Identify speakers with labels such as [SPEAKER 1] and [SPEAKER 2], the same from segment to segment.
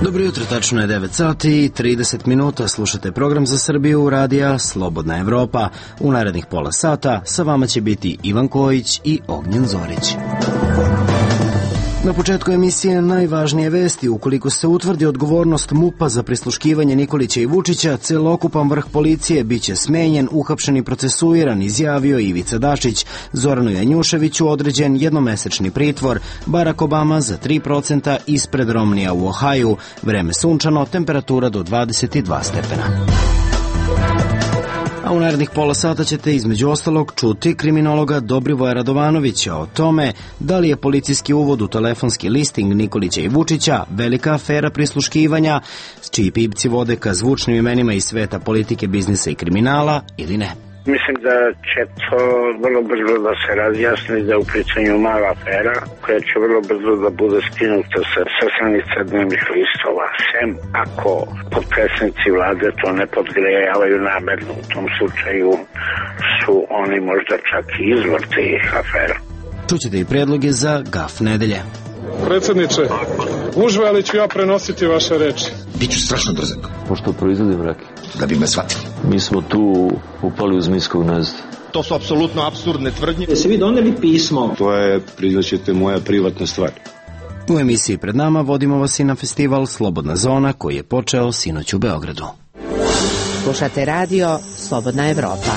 [SPEAKER 1] Dobro jutro, tačno je 9 sati i 30 minuta. Slušate program za Srbiju radija Slobodna Evropa. U narednih pola sata sa vama će biti Ivan Kojić i Ognjen Zorić. Na početku emisije najvažnije vesti. Ukoliko se utvrdi odgovornost MUP-a za prisluškivanje Nikolića i Vučića, celokupan vrh policije biće smenjen, uhapšen i procesuiran, izjavio Ivica Dačić. Zoranu Janjuševiću određen jednomesečni pritvor. Barack Obama za 3% ispred Romnija u Ohaju. Vreme sunčano, temperatura do 22 stepena. A u narednih pola sata ćete između ostalog čuti kriminologa Dobrivoja Radovanovića o tome da li je policijski uvod u telefonski listing Nikolića i Vučića velika afera prisluškivanja, čiji pipci vode ka zvučnim imenima iz sveta politike, biznisa i kriminala ili ne.
[SPEAKER 2] Mislim da će to vrlo brzo da se razjasni, da je u pitanju mala afera koja će vrlo brzo da bude skinuta sa stranica dnevnih listova. Sem ako potpredsjednici vlade to ne podgrejavaju namerno, u tom slučaju su oni možda čak i izvor tih afera.
[SPEAKER 1] Čućete i predloge za GAF nedelje.
[SPEAKER 3] Predsjedniče, užve, ali ću ja prenositi vaše reči.
[SPEAKER 4] Biću strašno drzak.
[SPEAKER 5] Pošto proizvodim rakiju.
[SPEAKER 4] Da bi me shvatili.
[SPEAKER 5] Mi smo tu upali uz miskog gnezda.
[SPEAKER 6] To su apsolutno apsurdne tvrdnje.
[SPEAKER 7] Jeste vi doneli pismo?
[SPEAKER 8] To je, priznaćete, moja privatna stvar.
[SPEAKER 1] U emisiji pred nama vodimo vas i na festival Slobodna zona koji je počeo sinoć u Beogradu.
[SPEAKER 9] Slušate radio Slobodna Evropa.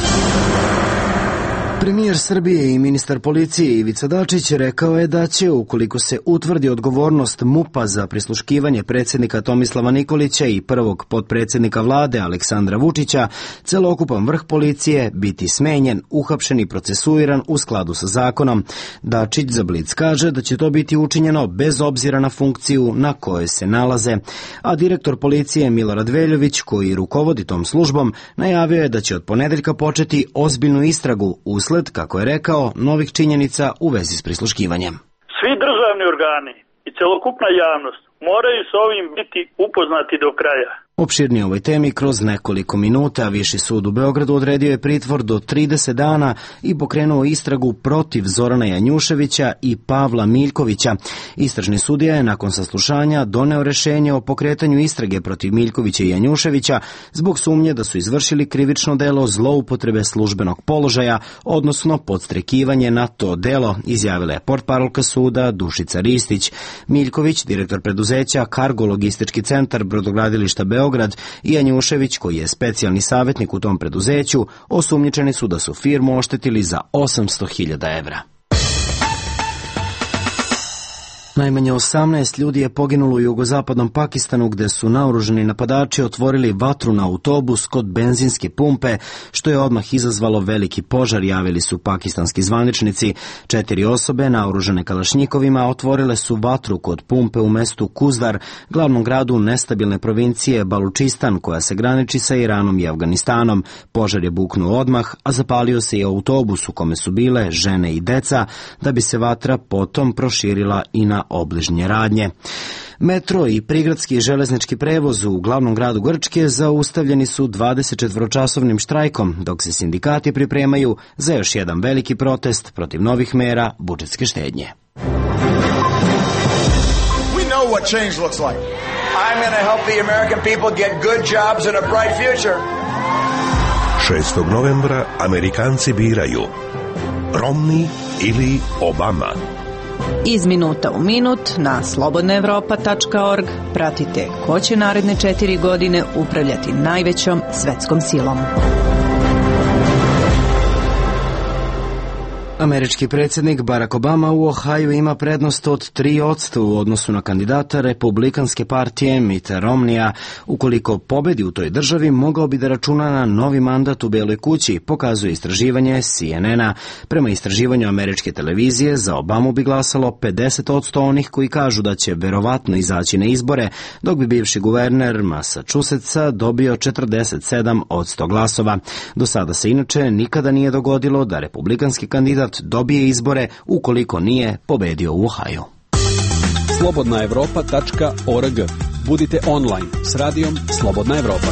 [SPEAKER 1] Premijer Srbije i ministar policije Ivica Dačić rekao je da će, ukoliko se utvrdi odgovornost MUP-a za prisluškivanje predsjednika Tomislava Nikolića i prvog potpredsjednika vlade Aleksandra Vučića, celokupan vrh policije biti smenjen, uhapšen i procesuiran u skladu sa zakonom. Dačić za Blic kaže da će to biti učinjeno bez obzira na funkciju na kojoj se nalaze. A direktor policije Milorad Veljović, koji rukovodi tom službom, najavio je da će od ponedeljka početi ozbiljnu istragu usled, kako je rekao, novih činjenica u vezi s prisluškivanjem.
[SPEAKER 10] Svi državni organi i celokupna javnost moraju s ovim biti upoznati do kraja.
[SPEAKER 1] Opširnije o ovoj temi kroz nekoliko minuta. Viši sud u Beogradu odredio je pritvor do 30 dana i pokrenuo istragu protiv Zorana Janjuševića i Pavla Miljkovića. Istražni sudija je nakon saslušanja doneo rešenje o pokretanju istrage protiv Miljkovića i Janjuševića zbog sumnje da su izvršili krivično delo zloupotrebe službenog položaja, odnosno podstrekivanje na to delo, izjavila je portparolka suda Dušica Ristić. Miljković, direktor preduzeća Kargo logistički centar brodogradilišta Beograd, i Janjušević, koji je specijalni savjetnik u tom preduzeću, osumnjičeni su da su firmu oštetili za 800.000 evra. Najmanje 18 ljudi je poginulo u jugozapadnom Pakistanu, gde su naoružani napadači otvorili vatru na autobus kod benzinske pumpe, što je odmah izazvalo veliki požar, javili su pakistanski zvaničnici. 4 osobe naoružane kalašnjikovima otvorile su vatru kod pumpe u mestu Kuzdar, glavnom gradu nestabilne provincije Balučistan, koja se graniči sa Iranom i Afganistanom. Požar je buknuo odmah, a zapalio se i autobus u kome su bile žene i deca, da bi se vatra potom proširila i na obližnje radnje. Metro i prigradski železnički prevoz u glavnom gradu Grčke zaustavljeni su 24-časovnim štrajkom, dok se sindikati pripremaju za još jedan veliki protest protiv novih mera budžetske štednje.
[SPEAKER 11] We know what change looks like. I'm going to help the American people get good jobs and a bright future.
[SPEAKER 12] 6. novembra Amerikanci biraju Romney ili Obama.
[SPEAKER 13] Iz minuta u minut na slobodnaevropa.org pratite ko će naredne 4 godine upravljati najvećom svetskom silom.
[SPEAKER 1] Američki predsjednik Barack Obama u Ohaju ima prednost od 3% u odnosu na kandidata Republikanske partije Mitta Romneya. Ukoliko pobedi u toj državi, mogao bi da računa na novi mandat u Beloj kući, pokazuje istraživanje CNN-a. Prema istraživanju američke televizije, za Obamu bi glasalo 50% onih koji kažu da će verovatno izaći na izbore, dok bi bivši guverner Massachusettsa dobio 47% glasova. Do sada se inače nikada nije dogodilo da republikanski kandidat dobije izbore ukoliko nije pobedio u Ohaju.
[SPEAKER 14] Slobodnaevropa.org. Budite online s radijom Slobodna Evropa.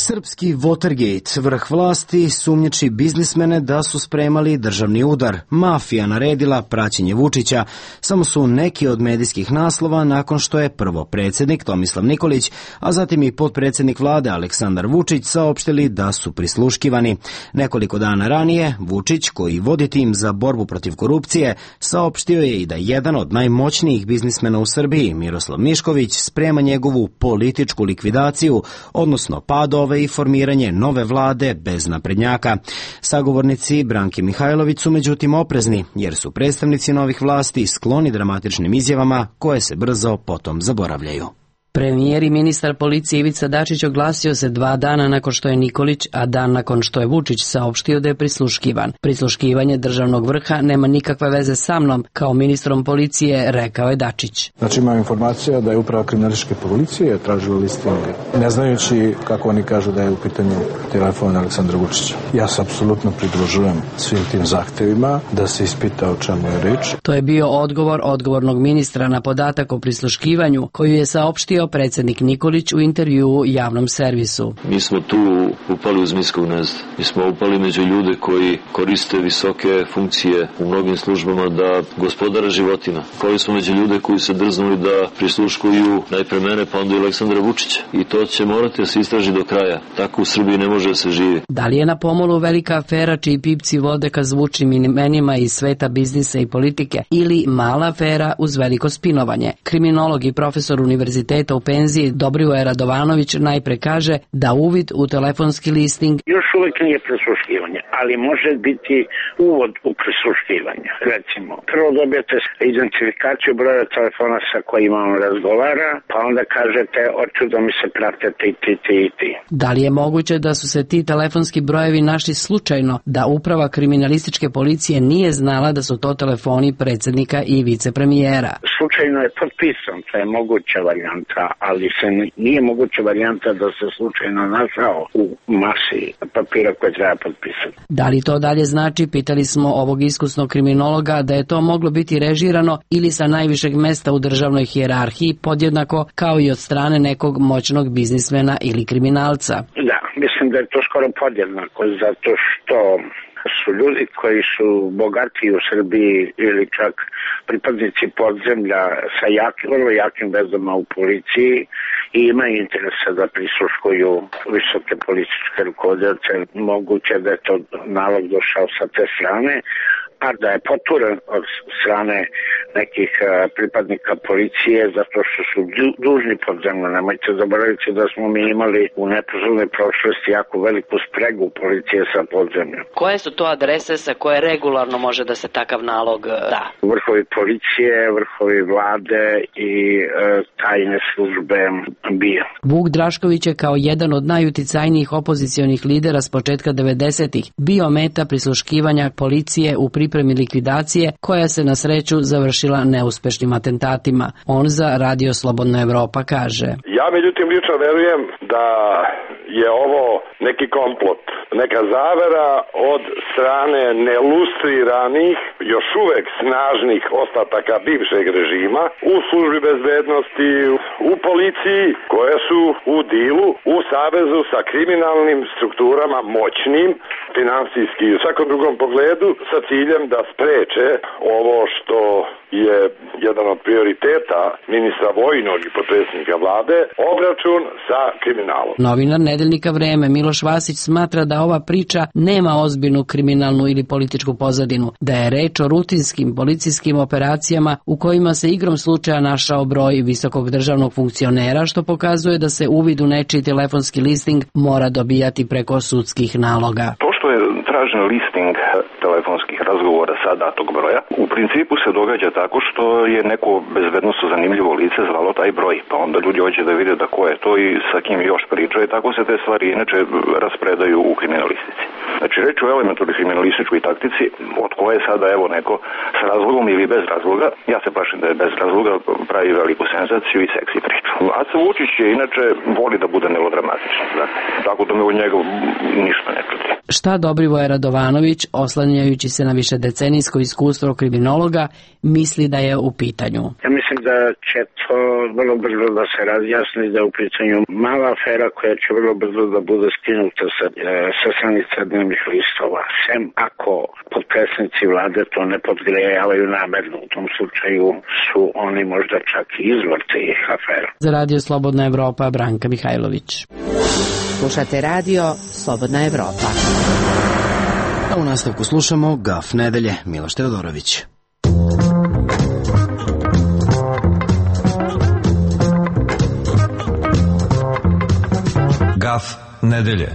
[SPEAKER 1] Srpski Watergate, vrh vlasti, sumnjiči biznismene da su spremali državni udar. Mafija naredila praćenje Vučića. Samo su neki od medijskih naslova nakon što je prvo predsjednik Tomislav Nikolić, a zatim i potpredsjednik vlade Aleksandar Vučić saopštili da su prisluškivani. Nekoliko dana ranije, Vučić, koji vodi tim za borbu protiv korupcije, saopštio je i da jedan od najmoćnijih biznismena u Srbiji, Miroslav Mišković, sprema njegovu političku likvidaciju, odnosno pad i formiranje nove vlade bez naprednjaka. Sagovornici Branke Mihajlović su međutim oprezni, jer su predstavnici novih vlasti skloni dramatičnim izjavama koje se brzo potom zaboravljaju.
[SPEAKER 7] Premijer i ministar policije Ivica Dačić oglasio se 2 dana nakon što je Nikolić, a dan nakon što je Vučić saopštio da je prisluškivan. Prisluškivanje državnog vrha nema nikakve veze sa mnom, kao ministrom policije, rekao je Dačić.
[SPEAKER 14] Znači imam informacija da je uprava kriminalističke policije tražila listing, ne znajući kako oni kažu da je u pitanju telefon Aleksandra Vučića. Ja se apsolutno pridružujem svim tim zahtevima da se ispita o čemu je reč.
[SPEAKER 7] To je bio odgovor odgovornog ministra na podatak o prisluškivanju, koju je saopštio predsjednik Nikolić u intervjuu javnom servisu.
[SPEAKER 5] Mi smo tu upali u zmijsko gnezdo. Mi smo upali među ljude koji koriste visoke funkcije u mnogim službama da gospodara životima. Upali smo među ljude koji se drznuli da prisluškuju najpre mene, pa onda i Aleksandra Vučića. I to će morati da se istraži do kraja. Tako u Srbiji ne može da se živi.
[SPEAKER 7] Da li je na pomolu velika afera čiji pipci vode ka zvučnim imenima iz sveta biznisa i politike ili mala afera uz veliko spinovanje? Kriminolog i profesor univerziteta u penziji Dobrivoje Radovanović najpre kaže da uvid u telefonski listing
[SPEAKER 2] još uvijek nije prisluškivanje, ali može biti uvod u prisluškivanje. Recimo, prvo dobijete identifikaciju broja telefona sa kojima on razgovara, pa onda kažete hoću da mi se prate ti.
[SPEAKER 7] Da li je moguće da su se ti telefonski brojevi našli slučajno, da uprava kriminalističke policije nije znala da su to telefoni predsjednika i vicepremijera?
[SPEAKER 2] Slučajno je potpisan, to je moguća varijanta, ali nije moguća varijanta da se slučajno našao u masi papira koje treba potpisati.
[SPEAKER 7] Da li to dalje znači, pitali smo ovog iskusnog kriminologa, da je to moglo biti režirano ili sa najvišeg mesta u državnoj hijerarhiji, podjednako kao i od strane nekog moćnog biznismena ili kriminalca?
[SPEAKER 2] Da, mislim da je to skoro podjednako, zato što su ljudi koji su bogatiji u Srbiji ili čak pripadnici podzemlja sa vrlo jakim vezama u policiji i imaju interesa da prisluškuju visoke političke rukovodioce. Moguće da je to nalog došao sa te strane, a da je poturen od strane nekih pripadnika policije zato što su dužni podzemno. Nemojte zaboraviti da smo mi imali u neposrednoj prošlosti jako veliku spregu policije sa podzemljom.
[SPEAKER 7] Koje su to adrese sa koje regularno može da se takav nalog da?
[SPEAKER 2] Vrhovi policije, vrhovi vlade i tajne službe BIA.
[SPEAKER 7] Vuk Drašković je kao jedan od najuticajnijih opozicionih lidera s početka 90-ih bio meta prisluškivanja policije u pripremi likvidacije koja se na sreću završila neuspešnim atentatima. On za Radio Slobodna Evropa kaže:
[SPEAKER 15] Ja međutim lično verujem da je ovo neki komplot, neka zavera od strane nelustriranih, još uvek snažnih ostataka bivšeg režima u službi bezbednosti, u policiji, koje su u dilu, u savezu sa kriminalnim strukturama moćnim, finansijski i u svakom drugom pogledu, sa ciljem da spreče ovo što je jedan od prioriteta ministra vojnog i potpredsjednika vlade, obračun sa kriminalom.
[SPEAKER 7] Novinar nedeljnika Vreme Miloš Vasić smatra da ova priča nema ozbiljnu kriminalnu ili političku pozadinu, da je reč o rutinskim policijskim operacijama u kojima se igrom slučaja našao broj visokog državnog funkcionera, što pokazuje da se uvid u nečiji telefonski listing mora dobijati preko sudskih naloga.
[SPEAKER 16] To što je tražen listing telefonskih razgovora sa datog broja, u principu se događa tako što je neko bezbednosno zanimljivo lice zvalo taj broj, pa onda ljudi hoće da vide da ko je to i sa kim još priča i tako se te stvari inače raspredaju u kriminalistici. Znači reč o elementarnoj kriminalističkoj taktici od koje sada evo neko s razlogom ili bez razloga, ja se plašim da je bez razloga, pravi veliku senzaciju i seksi priču. Aca Vučić je inače voli da bude melodramatičan, tako da me od njega ništa ne čudi.
[SPEAKER 7] Šta Dobrivoje Radovanović, oslanjajući se na višedecenijsko iskustvo kriminologa, misli da je u pitanju.
[SPEAKER 2] Ja mislim da će to vrlo brzo da se razjasni, da je u pitanju mala afera koja će vrlo brzo da bude skinuta sa stranica dnevnih listova. Sem ako potpredsjednici vlade to ne podgrejavaju namerno. U tom slučaju su oni možda čak i izvor tih afera.
[SPEAKER 7] Za Radio Slobodna Evropa, Branka Mihajlović.
[SPEAKER 9] Slušate radio Slobodna Evropa.
[SPEAKER 1] A u nastavku slušamo Gaf nedelje, Miloš Teodorović.
[SPEAKER 17] Gaf nedelje.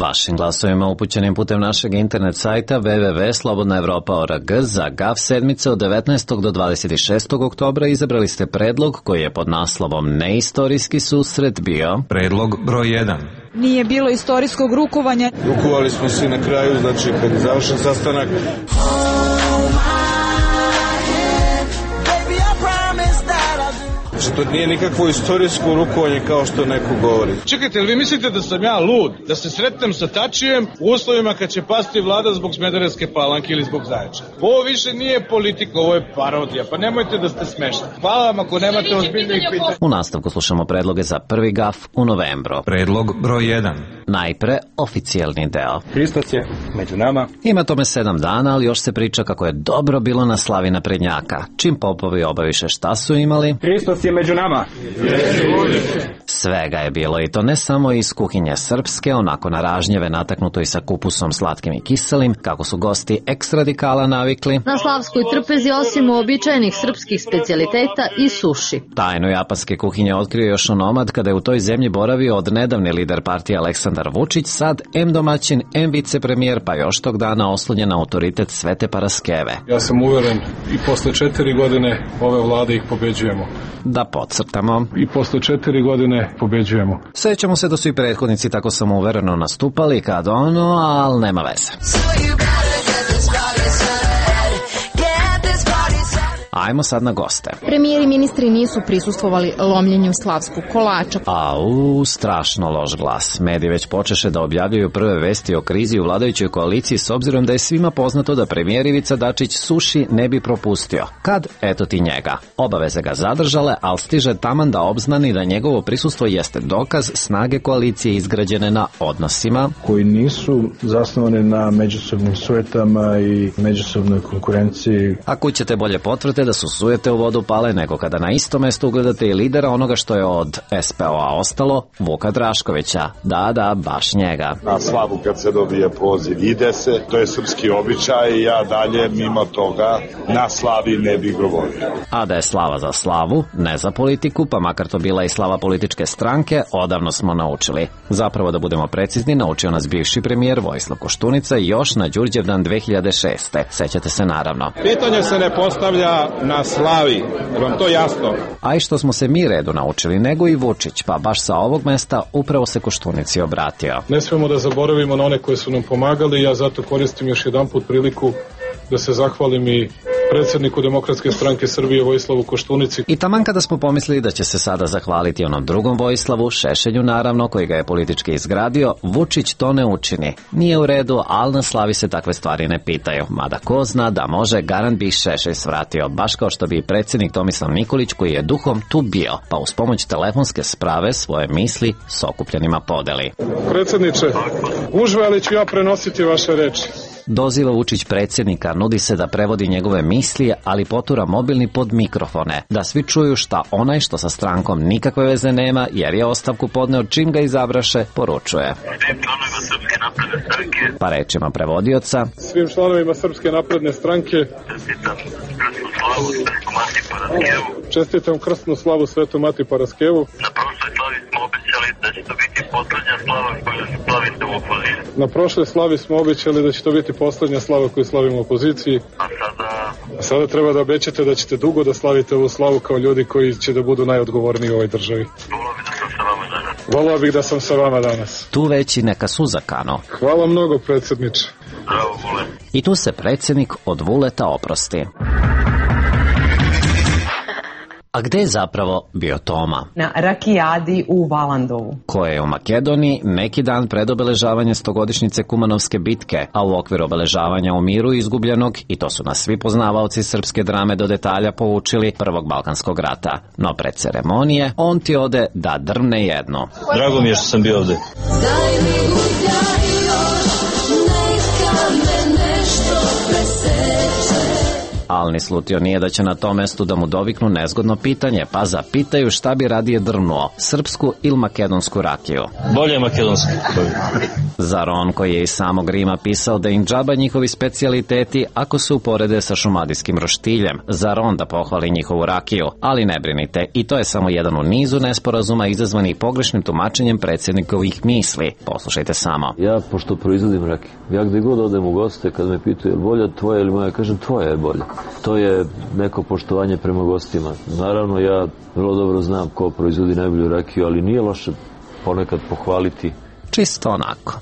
[SPEAKER 17] Vašim glasovima upućenim putem našeg internet sajta www.slobodnaevropa.org za GAF sedmice od 19. do 26. oktobra izabrali ste predlog koji je pod naslovom Neistorijski susret bio predlog broj 1.
[SPEAKER 18] Nije bilo istorijskog rukovanja.
[SPEAKER 8] Rukovali smo se na kraju, znači kad je završen sastanak. Znači, to nije nikakvo istorijsko rukovanje kao što neko govori.
[SPEAKER 3] Čekajte, jel vi mislite da sam ja lud? Da se sretnem sa Tačijem u uslovima kad će pasti vlada zbog Smederevske Palanke ili zbog Zaječara? Ovo više nije politika, ovo je parodija. Pa nemojte da ste smešni. Hvala vam ako nemate ozbiljnih pitanja.
[SPEAKER 17] U nastavku slušamo predloge za prvi GAF u novembru. Predlog broj 1. Najpre oficijalni deo.
[SPEAKER 14] Hristos je među nama.
[SPEAKER 17] Ima tome 7 dana, ali još se priča kako je dobro bilo na slavi naprednjaka. Čim popovi obaviše šta su imali,
[SPEAKER 14] Hristos je među nama.
[SPEAKER 17] Svega je bilo, i to ne samo iz kuhinje srpske, onako na ražnjeve nataknuto i sa kupusom slatkim i kiselim, kako su gosti eks-radikala navikli.
[SPEAKER 19] Na slavskoj trpezi osim uobičajenih srpskih specijaliteta i suši.
[SPEAKER 17] Tajnu japanske kuhinje otkrio još onomad kada je u toj zemlji boravio od nedavni lider partije Aleksandar Vučić, sad em domaćin, em vicepremijer, pa još tog dana oslonjen na autoritet Svete Paraskeve.
[SPEAKER 14] Ja sam uveren i posle 4 godine ove vlade ih pobeđujemo.
[SPEAKER 17] Da podcrtamo.
[SPEAKER 14] I posle 4 godine pobeđujemo.
[SPEAKER 17] Sećamo se da su i prethodnici tako samouvereno nastupali kad ali nema veze. Ajmo sad na goste.
[SPEAKER 19] Premijer i ministri nisu prisustvovali lomljenju slavskog kolača.
[SPEAKER 17] Strašno loš glas. Mediji već počeše da objavljaju prve vesti o krizi u vladajućoj koaliciji s obzirom da je svima poznato da premijer Ivica Dačić suši ne bi propustio. Kad? Eto ti njega. Obaveze ga zadržale, ali stiže taman da obznani da njegovo prisustvo jeste dokaz snage koalicije izgrađene na odnosima
[SPEAKER 14] koji nisu zasnovane na međusobnim sujetama i međusobnoj konkurenciji.
[SPEAKER 17] A kud ćete bolje potvrde da su sujete u vodu pale nego kada na isto mesto ugledate i lidera onoga što je od SPO-a ostalo, Vuka Draškovića. Da, baš njega.
[SPEAKER 15] Na slavu kad se dobije poziv ide se, to je srpski običaj i ja dalje mimo toga na slavi ne bih govorio.
[SPEAKER 17] A da je slava za slavu, ne za politiku, pa makar to bila i slava političke stranke, odavno smo naučili. Zapravo da budemo precizni, naučio nas bivši premijer Vojislav Koštunica još na Đurđevdan 2006. Sećate se naravno.
[SPEAKER 3] Pitanje se ne postavlja na slavi, vam to jasno?
[SPEAKER 17] A i što smo se mi redu naučili, nego i Vučić, pa baš sa ovog mesta upravo se Koštunici obratio.
[SPEAKER 14] Ne smemo da zaboravimo na one koji su nam pomagali, ja zato koristim još jedanput priliku da se zahvalim i predsjedniku Demokratske stranke Srbije Vojislavu Koštunici.
[SPEAKER 17] I taman kada smo pomislili da će se sada zahvaliti onom drugom Vojislavu, Šešelju naravno, koji ga je politički izgradio, Vučić to ne učini. Nije u redu, ali na slavi se takve stvari ne pitaju. Mada ko zna da može, garant bi Šešelj svratio, baš kao što bi i predsjednik Tomislav Nikolić, koji je duhom tu bio, pa uz pomoć telefonske sprave svoje misli s okupljenima podeli.
[SPEAKER 3] Predsjedniče, gužve, ali ću ja prenositi vaše reči.
[SPEAKER 17] Doziva Vučić predsjednika, nudi se da prevodi njegove misli, ali potura mobilni pod mikrofone, da svi čuju šta onaj što sa strankom nikakve veze nema, jer je ostavku podneo čim ga izabraše, poručuje. Pa rečima prevodioca.
[SPEAKER 3] Svim članovima Srpske napredne stranke čestitam krstnu slavu Svetom Mati Paraskevu. Na prošloj slavi smo obećali da će to biti posljednja slava koju slavimo u opoziciji. A sada treba da obećate da ćete dugo da slavite ovu slavu kao ljudi koji će da budu najodgovorniji u ovoj državi. Volao bih da sam sa vama danas.
[SPEAKER 17] Tu već i neka suza kano.
[SPEAKER 3] Hvala mnogo, predsjedniče.
[SPEAKER 17] I tu se predsjednik od Vuleta oprosti. A gde je zapravo bio Toma?
[SPEAKER 20] Na rakijadi u Valandovu.
[SPEAKER 17] Koje je u Makedoniji neki dan pred obeležavanje 100-godišnjice Kumanovske bitke, a u okviru obeležavanja u miru izgubljenog, i to su nas svi poznavaoci srpske drame do detalja poučili, Prvog Balkanskog rata. No pred ceremonije, on ti ode da drvne jednu.
[SPEAKER 5] Drago mi je što sam bio ovde.
[SPEAKER 21] Daj mi gudaj još, neka me nešto preseče.
[SPEAKER 17] Al ni slutio nije da će na tom mestu da mu doviknu nezgodno pitanje, pa zapitaju šta bi radije drvnuo, srpsku ili makedonsku rakiju.
[SPEAKER 5] Bolje je makedonski.
[SPEAKER 17] Zar on koji je iz samog Rima pisao da im džaba njihovi specijaliteti ako se uporede sa šumadijskim roštiljem? Zar on da pohvali njihovu rakiju? Ali ne brinite, i to je samo jedan u nizu nesporazuma izazvanih pogrešnim tumačenjem predsjednikovih misli. Poslušajte samo.
[SPEAKER 5] Ja, pošto proizvodim rakiju, ja gde god odem u goste, kad me pitaju je li bolja tvoja ili moja, kažem tvoja je bolja. To je neko poštovanje prema gostima. Naravno, ja vrlo dobro znam ko proizvodi najbolju rakiju, ali nije loše ponekad pohvaliti.
[SPEAKER 17] Čisto onako.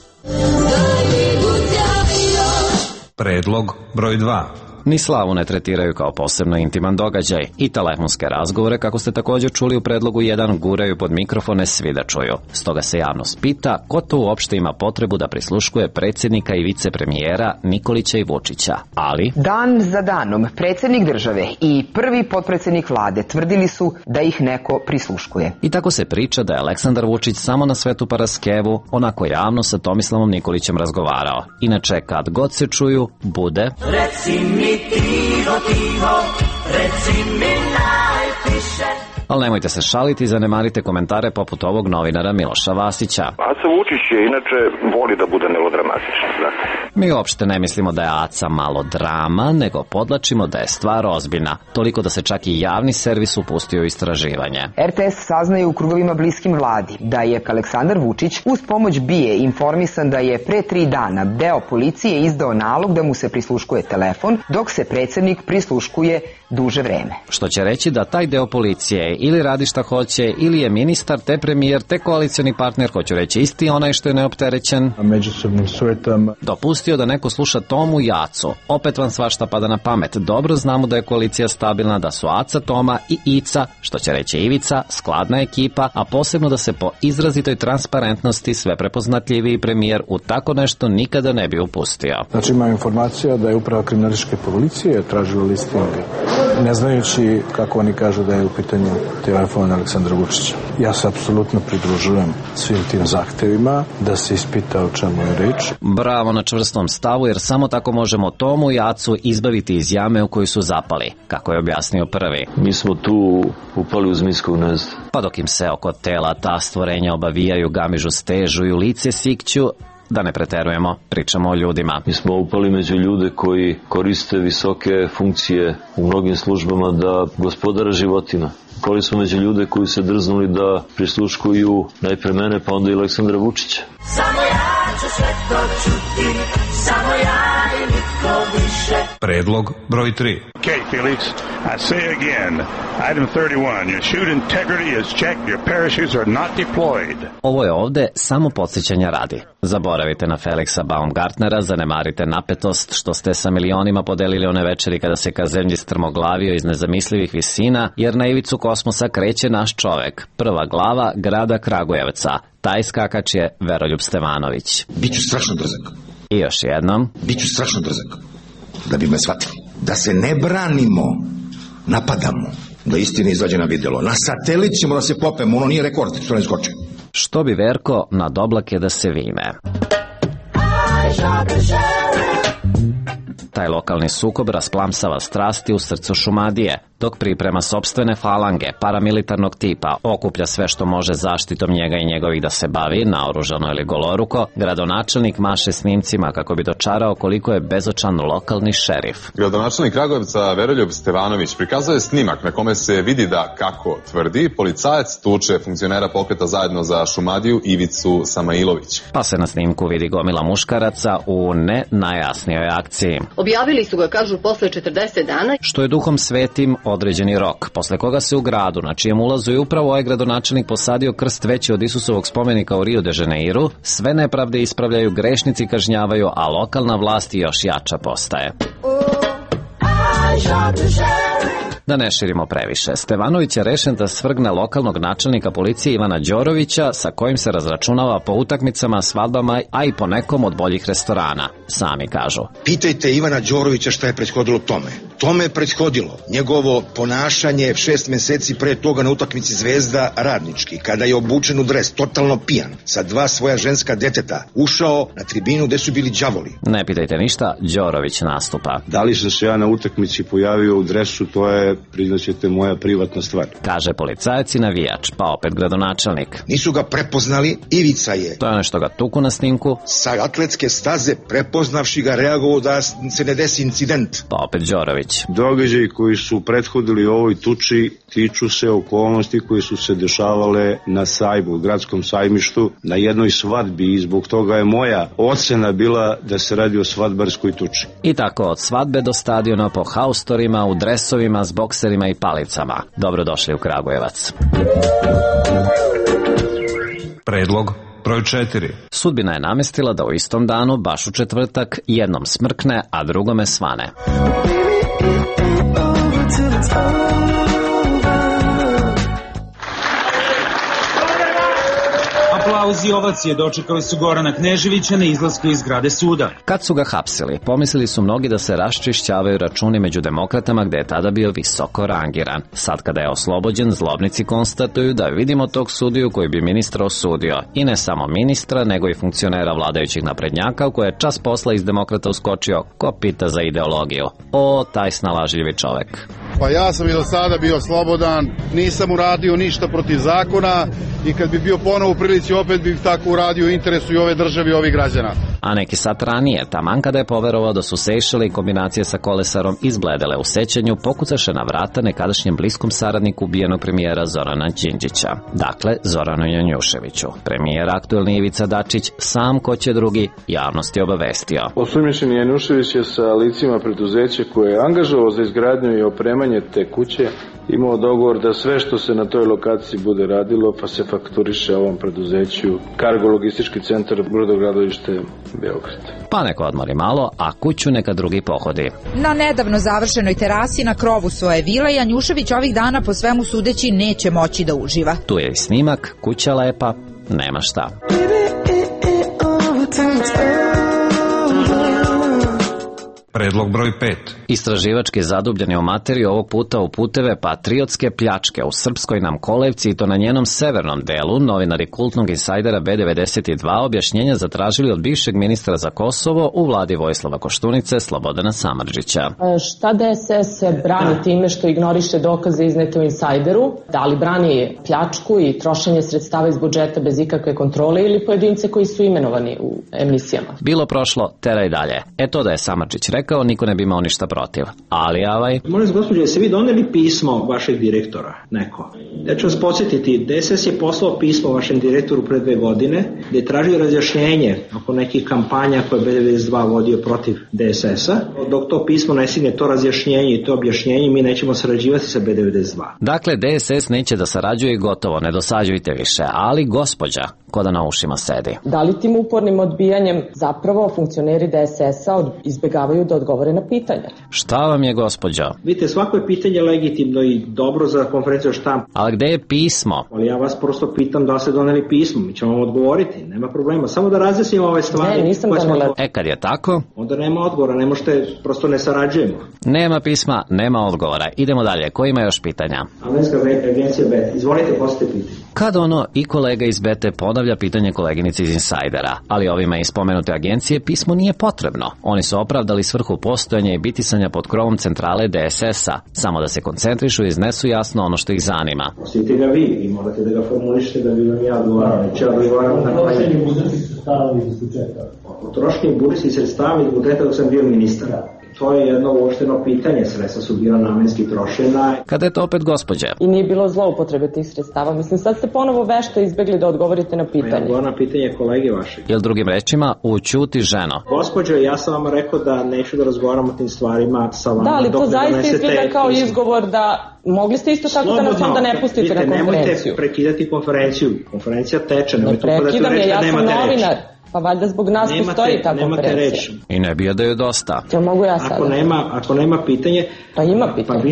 [SPEAKER 12] Predlog broj 2.
[SPEAKER 17] Ni slavu ne tretiraju kao posebno intiman događaj i telefonske razgovore, kako ste također čuli u predlogu 1, guraju pod mikrofone svi da čuju. Stoga se javnost pita ko to uopšte ima potrebu da prisluškuje predsjednika i vicepremijera Nikolića i Vučića. Ali
[SPEAKER 20] dan za danom predsjednik države i prvi potpredsjednik vlade tvrdili su da ih neko prisluškuje.
[SPEAKER 17] I tako se priča da je Aleksandar Vučić samo na Svetu Paraskevu onako javno sa Tomislavom Nikolićem razgovarao. Inače, kad god se čuju, bude
[SPEAKER 21] Reci mi tiho, reci mi najpiše.
[SPEAKER 17] Ali nemojte se šaliti i zanemarite komentare poput ovog novinara Miloša Vasića.
[SPEAKER 16] Aca Vučić je inače voli da bude melodramatičan, znate.
[SPEAKER 17] Mi uopšte ne mislimo da je Aca malo drama, nego podlačimo da je stvar ozbiljna, toliko da se čak i javni servis upustio u istraživanje.
[SPEAKER 20] RTS saznaje u krugovima bliskim vladi da je Aleksandar Vučić uz pomoć BIA informisan da je pre 3 dana deo policije izdao nalog da mu se prisluškuje telefon, dok se predsjednik prisluškuje duže vreme.
[SPEAKER 17] Što će reći da taj deo policije ili radi šta hoće, ili je ministar, te premijer, te koalicioni partner, hoću reći isti onaj što je neopterećen,
[SPEAKER 14] međusobnim sujetama,
[SPEAKER 17] dopustio da neko sluša Tomu i Acu. Opet vam svašta pada na pamet. Dobro znamo da je koalicija stabilna, da su Aca, Toma i Ica, što će reći Ivica, skladna ekipa, a posebno da se po izrazitoj transparentnosti sve prepoznatljiviji premijer u tako nešto nikada ne bi upustio.
[SPEAKER 14] Znači ima informacija da je uprava kriminalističke policije tražila listing, ne znajući kako oni kažu da je u pitanju telefon Aleksandra Vučića. Ja se apsolutno pridružujem svim tim zahtevima da se ispita o čemu je reč.
[SPEAKER 17] Bravo na čvrstom stavu, jer samo tako možemo Tomu i Acu izbaviti iz jame u koju su zapali, kako je objasnio prvi.
[SPEAKER 5] Mi smo tu upali u zmijsko gnezdo.
[SPEAKER 17] Pa dok im se oko tela ta stvorenja obavijaju, gamižu, stežu i u lice sikću, da ne preterujemo, pričamo o ljudima.
[SPEAKER 5] Mi smo upali među ljude koji koriste visoke funkcije u mnogim službama da gospodara životima. Upali smo među ljude koji se drznuli da prisluškuju najpre mene, pa onda i Aleksandra Vučića.
[SPEAKER 21] Samo ja ću sve to čuti, samo ja i niko više.
[SPEAKER 12] Predlog broj 3.
[SPEAKER 22] Okay, Felix, I say again, item 31, your chute integrity is checked, your parachutes are not deployed.
[SPEAKER 17] Ovo je ovde samo podsjećanja radi. Zaboravite na Felixa Baumgartnera, zanemarite napetost što ste sa milionima podelili one večeri kada se ka zemlji strmoglavio iz nezamislivih visina, jer na ivicu kosmosa kreće naš čovek, prva glava grada Kragujevca. Taj skakač je Veroljub Stevanović.
[SPEAKER 4] Biću strašno drzak.
[SPEAKER 17] I još jednom.
[SPEAKER 4] Biću strašno drzak. Da bi me shvatili. Da se ne branimo, napadamo. Da istina izađe na vidjelo. Na satelit ćemo da se popemo, ono nije rekord, što ne skoče.
[SPEAKER 17] Što bi Verko nad oblake da se vime. Taj lokalni sukob rasplamsava strasti u srcu Šumadije, dok priprema sopstvene falange paramilitarnog tipa, okuplja sve što može zaštitom njega i njegovih da se bavi, naoružano ili goloruko, gradonačelnik maše snimcima kako bi dočarao koliko je bezočan lokalni šerif.
[SPEAKER 23] Gradonačelnik Kragujevca Veroljub Stevanović prikazao je snimak na kome se vidi da, kako tvrdi, policajac tuče funkcionera pokreta Zajedno za Šumadiju Ivicu Samailović.
[SPEAKER 17] Pa se na snimku vidi gomila muškaraca u ne najjasnijoj akciji.
[SPEAKER 24] Objavili su ga, kažu, posle 40 dana.
[SPEAKER 17] Što je duhom svetim određeni rok, posle koga se u gradu, na čijem ulazu je upravo ovaj gradonačelnik posadio krst veći od Isusovog spomenika u Rio de Janeiru, sve nepravde ispravljaju, grešnici kažnjavaju, a lokalna vlast još jača postaje. Da ne širimo previše, Stevanović je rešen da svrgne lokalnog načelnika policije Ivana Đorovića, sa kojim se razračunava po utakmicama, svadbama, a i po nekom od boljih restorana. Sami kažu.
[SPEAKER 4] Pitajte Ivana Đorovića šta je prethodilo tome. Tome je prethodilo njegovo ponašanje 6 meseci pre toga na utakmici Zvezda Radnički, kada je obučen u dres, totalno pijan, sa 2 svoja ženska deteta, ušao na tribinu gde su bili đavoli.
[SPEAKER 17] Ne pitajte ništa, Đorović nastupa.
[SPEAKER 6] Da li sam se ja na utakmici pojavio u dresu, to je, priznaćete, moja privatna stvar.
[SPEAKER 17] Kaže policajac i navijač, pa opet gradonačelnik.
[SPEAKER 4] Nisu ga prepoznali, Ivica je.
[SPEAKER 17] To je nešto ga tuku na snimku.
[SPEAKER 4] Sa atletske staze, prepoznavši ga, reagovao da se ne desi incident.
[SPEAKER 17] Pa opet Đorović.
[SPEAKER 6] Događaji koji su prethodili ovoj tuči tiču se okolnosti koje su se dešavale na sajmu, gradskom sajmištu, na jednoj svadbi, i zbog toga je moja ocena bila da se radi o svadbarskoj tuči.
[SPEAKER 17] I tako od svadbe do stadiona po haustorima, u dresovima, s bokserima i palicama. Dobrodošli u Kragujevac.
[SPEAKER 12] Predlog broj 4.
[SPEAKER 17] Sudbina je namestila da u istom danu, baš u četvrtak, jednom smrkne, a drugome svane.
[SPEAKER 10] Aplauzi i ovacije dočekali su Gorana Kneževića na izlasku iz zgrade suda.
[SPEAKER 17] Kad su ga hapsili, pomislili su mnogi da se raščišćavaju računi među demokratama, gde je tada bio visoko rangiran. Sad kada je oslobođen, zlobnici konstatuju da vidimo tog sudiju koji bi ministra osudio. I ne samo ministra, nego i funkcionera vladajućih naprednjaka, u koje je čas posla iz demokrata uskočio ko pita za ideologiju. O, taj snalažljivi čovek.
[SPEAKER 11] Pa ja sam i do sada bio slobodan, nisam uradio ništa protiv zakona i kad bi bio ponovo u prilici opet bih tako uradio u interesu i ove države i ovih građana.
[SPEAKER 17] A neki sat ranije, taman kada je poverovao da su Sejšele i kombinacije sa Kolesarom izbledele u sećanju, pokucaše na vrata nekadašnjem bliskom saradniku ubijenog premijera Zorana Đinđića. Dakle, Zoranu Janjuševiću. Premijer aktuelni Ivica Dačić, sam ko će drugi, javnost je obavestio.
[SPEAKER 13] Osumnjičeni Janjušević je sa licima preduzeća koje je angažovao za izgradnju i opremanje te kuće imao dogovor da sve što se na toj lokaciji bude radilo pa se fakturiše ovom preduzeću Kargo logistički centar Brodogradilište Beograd.
[SPEAKER 17] Pa neko odmori malo, a kuću neka drugi pohodi.
[SPEAKER 18] Na nedavno završenoj terasi na krovu svoje vile Janjušević ovih dana po svemu sudeći neće moći da uživa.
[SPEAKER 17] Tu je i snimak, kuća lepa, nema šta.
[SPEAKER 12] Predlog broj 5.
[SPEAKER 17] Istraživački zadubljeni u materiju ovog puta u puteve patriotske pljačke u Srpskoj nam kolevci i to na njenom severnom delu, novinari kultnog insajdera B92 objašnjenja zatražili od bivšeg ministra za Kosovo u vladi Vojislava Koštunice Slobodana Samardžića.
[SPEAKER 25] Šta DSS brani time što ignoriše dokaze iznete u insajderu? Da li brani pljačku i trošenje sredstava iz budžeta bez ikakve kontrole ili pojedince koji su imenovani u emisijama?
[SPEAKER 17] Bilo prošlo, teraj dalje. To da je Samardžić rekao, niko ne bi imao ništa protiv. Ali
[SPEAKER 26] Molim vas, gospođo, jeste vi doneli pismo vašeg direktora, neko? Ja ću vas podsjetiti, DSS je poslao pismo vašem direktoru pre 2 godine, gde je tražio razjašnjenje oko nekih kampanja koje je B92 vodio protiv DSS-a. Dok to pismo ne stigne, to razjašnjenje i to objašnjenje, mi nećemo sarađivati sa B92.
[SPEAKER 17] Dakle, DSS neće da sarađuje i gotovo, ne dosađujte više, ali gospođa, ko da na ušima sedi.
[SPEAKER 25] Da li tim upornim odbijanjem zapravo funkcioneri DSS-a izbegavaju da odgovore na pitanja?
[SPEAKER 17] Šta vam je, gospođo?
[SPEAKER 26] Vidite, svako je pitanje legitimno i dobro za konferenciju štampa.
[SPEAKER 17] Ali gde je pismo?
[SPEAKER 26] Ali ja vas prosto pitam da ste doneli pismo, mi ćemo vam odgovoriti, nema problema. Samo da razjasnimo ove stvari.
[SPEAKER 25] Ne, nisam donela.
[SPEAKER 17] Kad je tako?
[SPEAKER 26] Onda nema odgovora, ne možete, prosto ne sarađujemo.
[SPEAKER 17] Nema pisma, nema odgovora. Idemo dalje, ko ima još pitanja?
[SPEAKER 26] Američka agencija BET, izvolite, postavite pitanje.
[SPEAKER 17] Kad ono i kolega iz BET ponavlja pitanje koleginice iz Insajdera, ali ovima iz spomenute agencije pismo nije potrebno. Oni su opravdali svrhu postojanja i bitisanja pod krovom centrale DSS-a, samo da se koncentrišu i iznesu jasno ono što ih zanima.
[SPEAKER 26] Postavite ga vi i morate da ga formulišete da bi vam ja odgovarao. Neće ja odgovaram na trošenje budžetskih sredstava iz budžeta. O trošenju budžetskih sredstava iz budžeta dok sam bio ministar. To je jedno uopšteno pitanje, sredstva su bila namenski trošena.
[SPEAKER 17] Kada je to opet gospođa?
[SPEAKER 25] I nije bilo zloupotrebe tih sredstava. Mislim, sad ste ponovo vešto izbegli da odgovorite na pitanje.
[SPEAKER 26] Ja odgovorim na pitanje kolege vaše.
[SPEAKER 17] Ili drugim rečima, ućuti ženo.
[SPEAKER 26] Gospođo, ja sam vam rekao da neću da razgovaram o tim stvarima sa vama.
[SPEAKER 25] Da, ali to zaista izgleda kao izgovor da mogli ste isto tako da nas onda ne pustite na konferenciju.
[SPEAKER 26] Nemojte prekidati konferenciju. Konferencija teče.
[SPEAKER 25] Ne prekidam je, ja sam novinar. Pa valjda zbog nas postoji ta konferencija.
[SPEAKER 26] I
[SPEAKER 17] ne bi da je dosta.
[SPEAKER 25] Ja mogu ja sada.
[SPEAKER 26] Ako nema pitanje,
[SPEAKER 25] pa ima pitanje.
[SPEAKER 26] Pa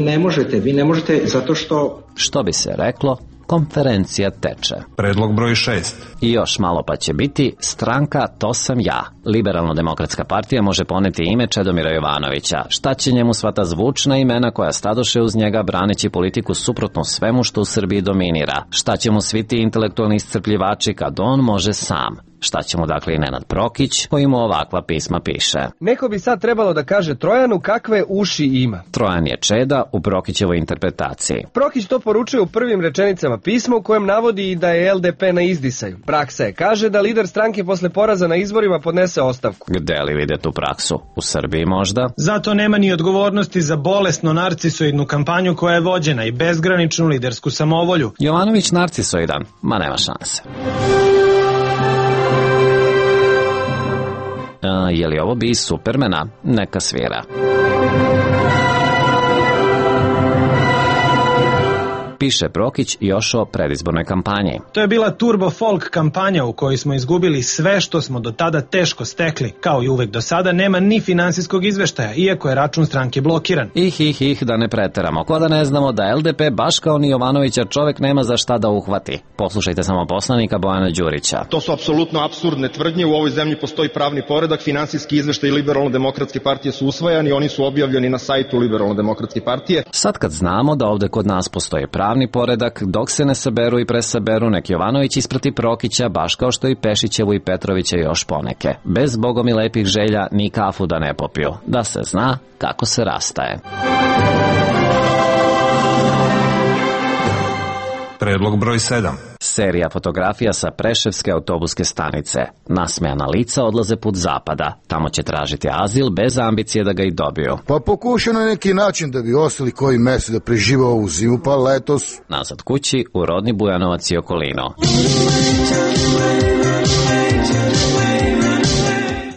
[SPEAKER 26] vi ne možete zato što...
[SPEAKER 17] Što bi se reklo, konferencija teče.
[SPEAKER 12] Predlog broj 6.
[SPEAKER 17] I još malo pa će biti stranka To sam ja. Liberalno-demokratska partija može poneti ime Čedomira Jovanovića. Šta će njemu sva ta zvučna imena koja stadoše uz njega braneći politiku suprotno svemu što u Srbiji dominira? Šta će mu svi ti intelektualni iscrpljivači kad on može sam? Šta će mu dakle i Nenad Prokić, koji mu ovakva pisma piše?
[SPEAKER 1] Neko bi sad trebalo da kaže Trojanu kakve uši ima.
[SPEAKER 17] Trojan je Čeda u Prokićevoj interpretaciji.
[SPEAKER 1] Prokić to poručuje u prvim rečenicama pisma u kojem navodi i da je LDP na izdisaju. Praksa je kaže da lider stranke posle poraza na izborima podnese ostavku.
[SPEAKER 17] Gde li vide tu praksu? U Srbiji možda?
[SPEAKER 2] Zato nema ni odgovornosti za bolesno narcisoidnu kampanju koja je vođena i bezgraničnu lidersku samovolju.
[SPEAKER 17] Jovanović narcisoidan? Ma nema šanse. Je li ovo bi iz Supermana? Neka svira. Piše Prokić još o predizbornoj kampanji.
[SPEAKER 2] To je bila turbo folk kampanja u kojoj smo izgubili sve što smo do tada teško stekli. Kao i uvek do sada nema ni finansijskog izveštaja, iako je račun stranke blokiran.
[SPEAKER 17] Da ne preteramo. Ko da ne znamo da LDP baš kao ni Jovanovića čovek nema za šta da uhvati. Poslušajte samo poslanika Bojana Đurića.
[SPEAKER 7] To su apsolutno apsurdne tvrdnje. U ovoj zemlji postoji pravni poredak, finansijski izveštaj Liberalno-demokratske partije su usvajani, oni su objavljeni na sajtu Liberalno-demokratske partije.
[SPEAKER 17] Sad kad znamo da ovde kod nas postoji pravni poredak, dok se ne saberu i presaberu, nek Jovanović isprati Prokića, baš kao što i Pešićevu i Petrovića još poneke. Bez bogom i lepih želja ni kafu da ne popiju. Da se zna kako se rastaje.
[SPEAKER 12] Predlog broj 7.
[SPEAKER 17] Serija fotografija sa Preševske autobuske stanice. Nasmejana lica odlaze put zapada. Tamo će tražiti azil bez ambicije da ga i dobiju.
[SPEAKER 8] Pa pokušao na neki način da bi ostali koji mesec da prežive ovu zimu, pa letos.
[SPEAKER 17] Nazad kući u rodni Bujanovac i okolino.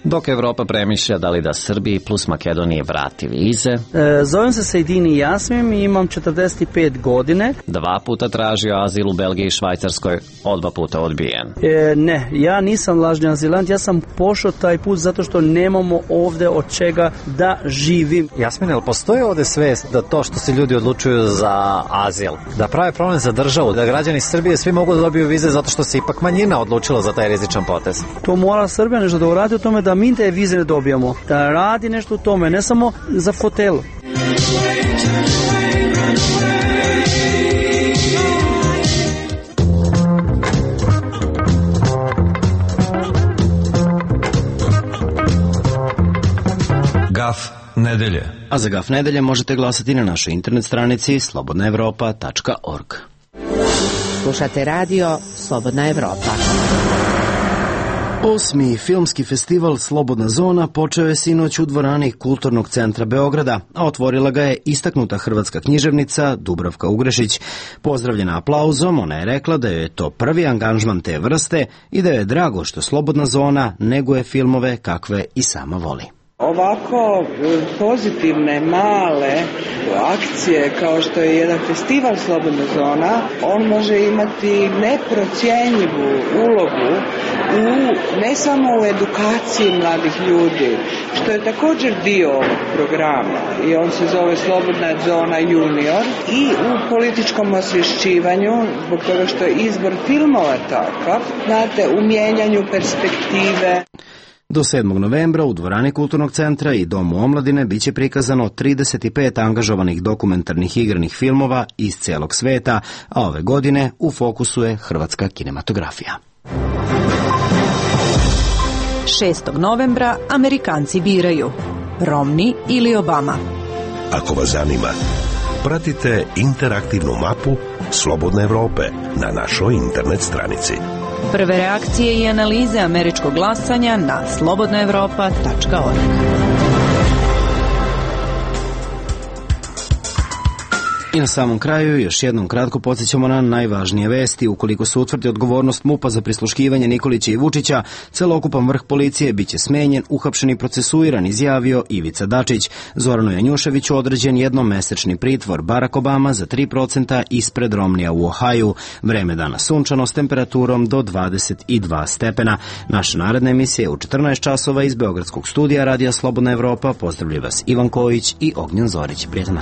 [SPEAKER 17] Dok Evropa premišlja da li da Srbiji plus Makedoniji vrati vize.
[SPEAKER 9] Zovem se Sejdini Jasmim i imam 45 godine.
[SPEAKER 17] 2 puta tražio azil u Belgiji i Švajcarskoj, 2 puta odbijen.
[SPEAKER 9] Ne, ja nisam lažni azilant, ja sam pošao taj put zato što nemamo ovde od čega da živim.
[SPEAKER 19] Jasmine, ali postoji ovde svest da to što se ljudi odlučuju za azil, da prave problem za državu, da građani Srbije svi mogu da dobiju vize zato što se ipak manjina odlučila za taj rizičan potez?
[SPEAKER 9] To mora Srbija nešto da uradi o tome da mi te vize ne dobijamo, da radi nešto u tome, ne samo za fotelu.
[SPEAKER 12] Gaf nedelje.
[SPEAKER 27] A za Gaf nedelje možete glasati na našoj internet stranici slobodnaevropa.org.
[SPEAKER 18] Slušate radio Slobodna Evropa.
[SPEAKER 27] 8. filmski festival Slobodna zona počeo je sinoć u dvorani Kulturnog centra Beograda, a otvorila ga je istaknuta hrvatska književnica Dubravka Ugrešić. Pozdravljena aplauzom, ona je rekla da je to prvi angažman te vrste i da je drago što Slobodna zona neguje filmove kakve i sama voli.
[SPEAKER 28] Ovako pozitivne, male akcije kao što je jedan festival Slobodna zona, on može imati neprocjenjivu ulogu ne samo u edukaciji mladih ljudi, što je također dio ovog programa i on se zove Slobodna zona junior, i u političkom osvješćivanju, zbog toga što je izbor filmova takav, znate, u mijenjanju perspektive.
[SPEAKER 27] Do 7. novembra u dvorani Kulturnog centra i Domu omladine biće prikazano 35 angažovanih dokumentarnih igranih filmova iz celog sveta, a ove godine u fokusu je hrvatska kinematografija.
[SPEAKER 18] 6. novembra Amerikanci biraju Romney ili Obama.
[SPEAKER 29] Ako vas zanima, pratite interaktivnu mapu Slobodne Evrope na našoj internet stranici.
[SPEAKER 18] Prve reakcije i analize američkog glasanja na slobodnaevropa.org.
[SPEAKER 27] I na samom kraju još jednom kratko podsjećamo na najvažnije vesti. Ukoliko se utvrdi odgovornost MUP-a za prisluškivanje Nikolića i Vučića, celokupan vrh policije biće smenjen, uhapšen i procesuiran, izjavio Ivica Dačić. Zoranu Janjuševiću određen jednomesečni pritvor. Barack Obama za 3% ispred Romnija u Ohaju. Vreme dana sunčano s temperaturom do 22 stepena. Naša naredna emisija je u 14 časova iz Beogradskog studija Radija Slobodna Evropa. Pozdravljaju vas Ivan Kojić i Ognjen Zorić. Prijatno.